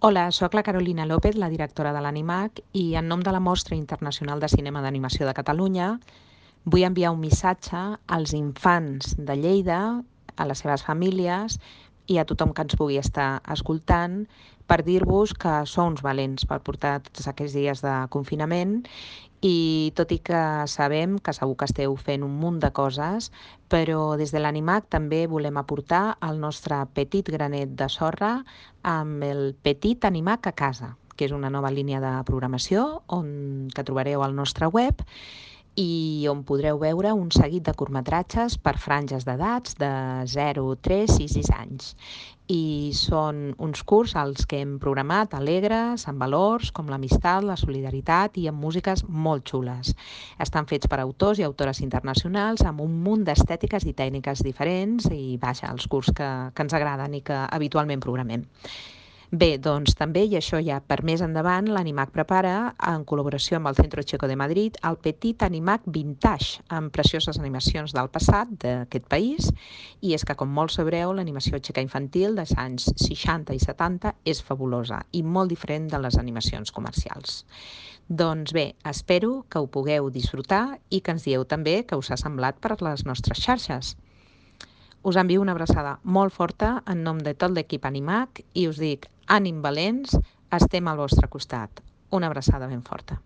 Hola, sóc la Carolina López, la directora de l'Animac, i en nom de la Mostra Internacional de Cinema d'Animació de Catalunya vull enviar un missatge als infants de Lleida, a les seves famílies i a tothom que ens pugui estar escoltant per dir-vos que sou uns valents per portar tots aquests dies de confinament i tot i que sabem que segur que esteu fent un munt de coses, però des de l'Animac també volem aportar el nostre petit granet de sorra amb el Petit Animac a casa, que és una nova línia de programació que trobareu al nostre web i on podreu veure un seguit de curtmetratges per franges d'edats de 0, 3 i 6 anys. I són uns curts als que hem programat alegres, amb valors com l'amistat, la solidaritat i amb músiques molt xules. Estan fets per autors i autores internacionals amb un munt d'estètiques i tècniques diferents i, vaja, els curts que ens agraden i que habitualment programem. Bé, doncs també, i això ja per més endavant, l'Animac prepara, en col·laboració amb el Centro Checo de Madrid, el Petit Animac Vintage, amb precioses animacions del passat d'aquest país, i és que, com molts sabreu, l'animació txeca infantil dels anys 60 i 70 és fabulosa i molt diferent de les animacions comercials. Doncs bé, espero que ho pugueu disfrutar i que ens dieu també què us ha semblat per les nostres xarxes. Us envio una abraçada molt forta en nom de tot l'equip Animac i us dic, ànim valents, estem al vostre costat. Una abraçada ben forta.